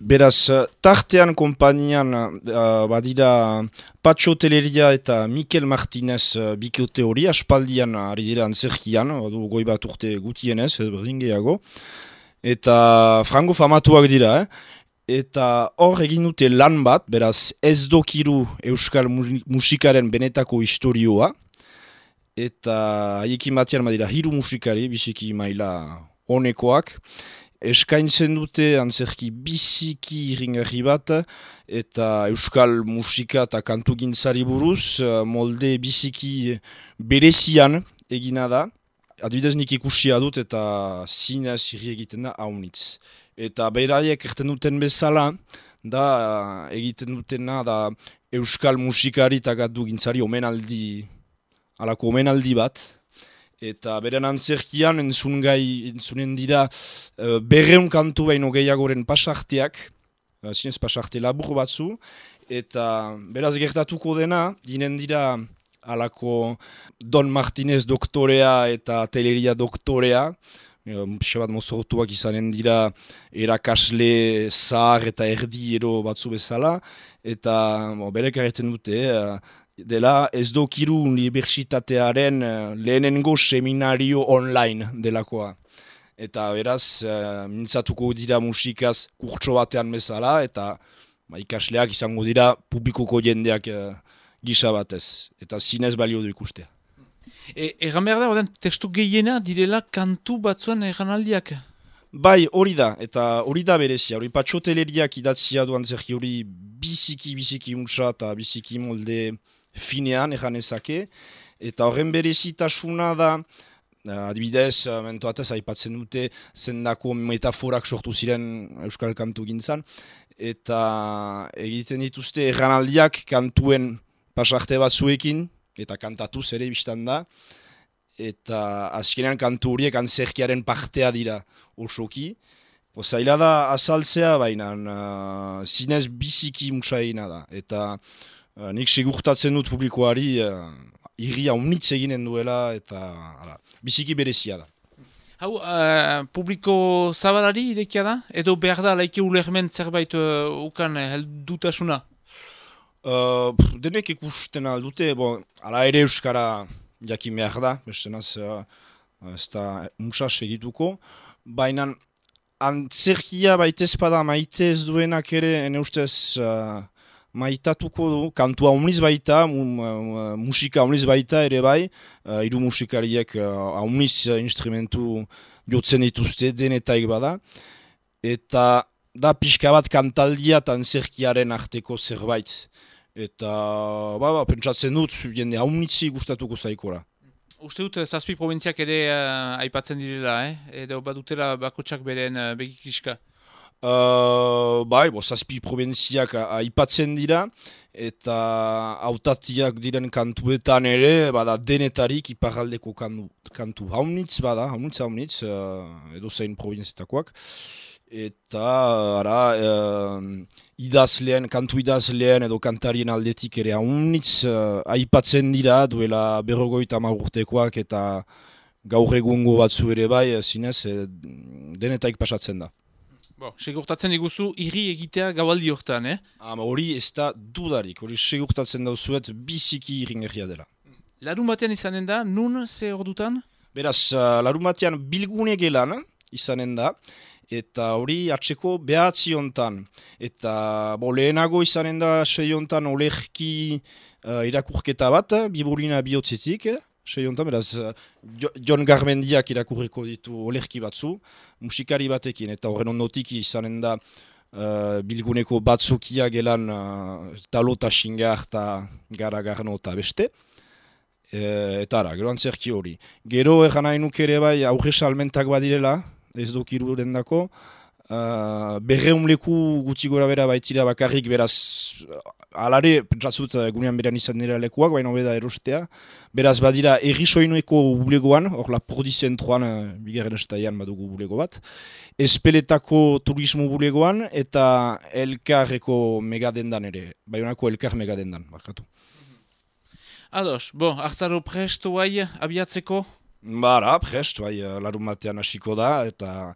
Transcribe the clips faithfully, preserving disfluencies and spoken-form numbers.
Beraz, tartean konpainian uh, badira Patxo Teleria eta Mikel Martinez uh, bikote hori, aspaldian ari dira antzerkian, du goi bat urte gutienez, berdin gehiago, eta frango famatuak dira, eh? Eta hor egin dute lan bat, beraz ez dokiru euskal musikaren benetako historioa, eta haiekin batean badira hiru musikari, biziki maila honekoak, eskaintzen dute antzerki biziki iringarri bat eta euskal musika eta kantugintzari buruz molde biziki berezian egina da. Adibidez nik ikusia dut eta zinez irri egiten da haunitz. Eta beraiek erten duten bezala da egiten dutena da euskal musikari eta kantugintzari omenaldi, alako omenaldi bat. Eta beren antzerkian entzun gai, entzunen dira uh, berreun kantu baino gehiagoren pasarteak, uh, zinez pasarte labur batzu, eta beraz gertatuko dena, dinen dira alako Don Martinez doktorea eta Teleria doktorea, pixka bat mozortuak izanen dira erakasle zahar eta erdi ero batzu bezala, eta bo, berek arreten dute, uh, dela ez dokiru unibertsitatearen lehenengo seminario online delakoa. Eta beraz, uh, mintzatuko dira musikaz kurtso batean bezala, eta ba, ikasleak izango dira publikoko jendeak uh, gisa batez. Eta zinez balio du ikustea. E, egan behar da, oden, testu gehiena direla kantu batzuen eganaldiak? Bai, hori da, eta hori da berezia. Hori Patxo Teleriak idatzia duan zerki hori biziki, biziki untsa eta biziki molde finean eganezake, eta horren berezitasuna da, adibidez, mentoatez aipatzen dute, zendako metaforak sortu ziren euskal kantu gintzan, eta egiten dituzte erranaldiak kantuen pasarte batzuekin, eta kantatuz ere biztan da, eta azkenean kantu horiek antzerkiaren partea dira osoki. Zaila da azaltzea, baina uh, zinez biziki mutsaina da, eta Uh, nik segurtatzen dut publikoari uh, irria unitz eginen duela eta ala, biziki berezia da. Hau, uh, publiko zabalari idekia da? Edo behar da laike ulermen zerbait uh, ukan heldutasuna? Uh, denek ikusten aldute, bon, ala ere euskara jakin behar da, bestenaz uh, ez da muntza segituko, baina antzerkia baitez pada maite ez duenak ere, ene ustez uh, maitatuko du, kantua omniz baita, um, musika omniz baita ere bai, uh, hiru musikariek uh, omniz instrumentu jotzen dituzte, denetaik bada, eta da pixka bat kantaldia eta antzerkiaren arteko zerbait. Eta ba, ba, pentsatzen dut, jende omnizi gustatuko zaikora. Uste dut, zazpi probintziak ere uh, aipatzen direla, eh? Edo badutela bakotsak beren uh, begikiska. Uh, bai, bo, zazpi probintziak aipatzen dira, eta hautatiak diren kantuetan ere, bada denetarik iparraldeko kantu, kantu haunitz bada, haunitz haunitz, uh, edo zein probintzietakoak. Eta, ara, uh, idazleen, kantu idazleen edo kantarien aldetik ere haunitz uh, aipatzen dira, duela berrogoita urtekoak eta gaur egungo batzu ere bai, zinez, eh, denetaik pasatzen da. Bo, segurtatzen iguzu irri egitea gaualdi hortan, eh? Ama hori ez da dudarik, hori segurtatzen dauzuet biziki irringerria dela. Larun batean izanen da, nun ze ordutan? Beraz, uh, larun batean bilgune gelan izanen da, eta hori atseko behatzi hontan. Eta bo, lehenago izanen da sei hontan olerki uh, irakurketa bat, biburina bihotzetik, sei hontan, beraz, Jon Garmendiak irakurriko ditu olerki batzu, musikari batekin, eta horren ondotik izanen da uh, bilguneko batzukia gelan uh, talo eta xingar eta gara garno eta beste. E, eta ara, gero antzerki hori. Gero egan nahi nuke ere bai aurre salmentak badirela, ez dokiruren dako, Uh, berreun leku guti gora bera baitira bakarrik, beraz alare, pentsatzut gunean beran izan dira lekuak, baina beda erostea. Beraz badira erri soinueko bulegoan, hor Lapurdi zentroan, uh, bigarren estaian badugu bulego bat, Espeletako turismo bulegoan eta Elkarreko megadendan ere, Baionako Elkar megadendan, barkatu. Ados, bo, hartzaro presto bai abiatzeko? Bara, prest, bai, larun batean hasiko da, eta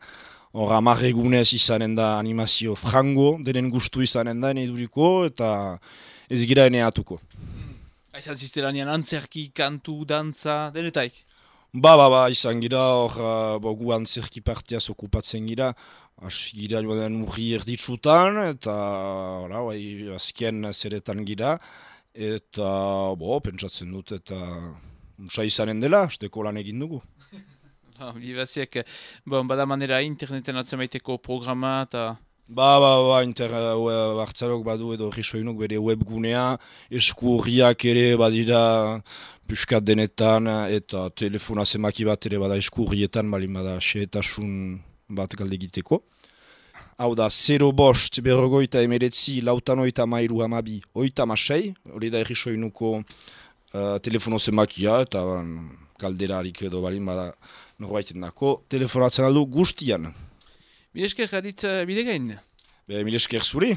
hor hamar egunez izanen da animazio frango, denen gustu izanen da eduriko eta ez gira eneatuko. Aizan ziztelanean antzerki, kantu, dantza, denetaik? Ba, ba, ba, izan gira, hor, uh, gu antzerki partiaz okupatzen gira, hasi gira joan urri erditsutan, eta, ora, bai, azken zeretan gira, eta, bo, pentsatzen dut, eta, unsa izanen dela, azteko lan egin dugu. Bibaziak, bon, bada manera interneten atzemaiteko programa, eta... Ba, ba, ba, inter, uh, hartzarok badu edo risoinuk bere webgunea, esku horriak ere badira puskat denetan, eta telefona zemaki bat ere bada esku horrietan, balin bada xeetasun bat galde egiteko. Hau da, zero bost, berrogoita emeretzi, lautan oita mairu hamabi, oita masei, hori da risoinuko uh, telefono zemakia, eta um, galderarik edo balin bada norbaiten dako, telefonatzen aldu guztian. Milesker, Haritz Bidegain? Be, milesker zuri.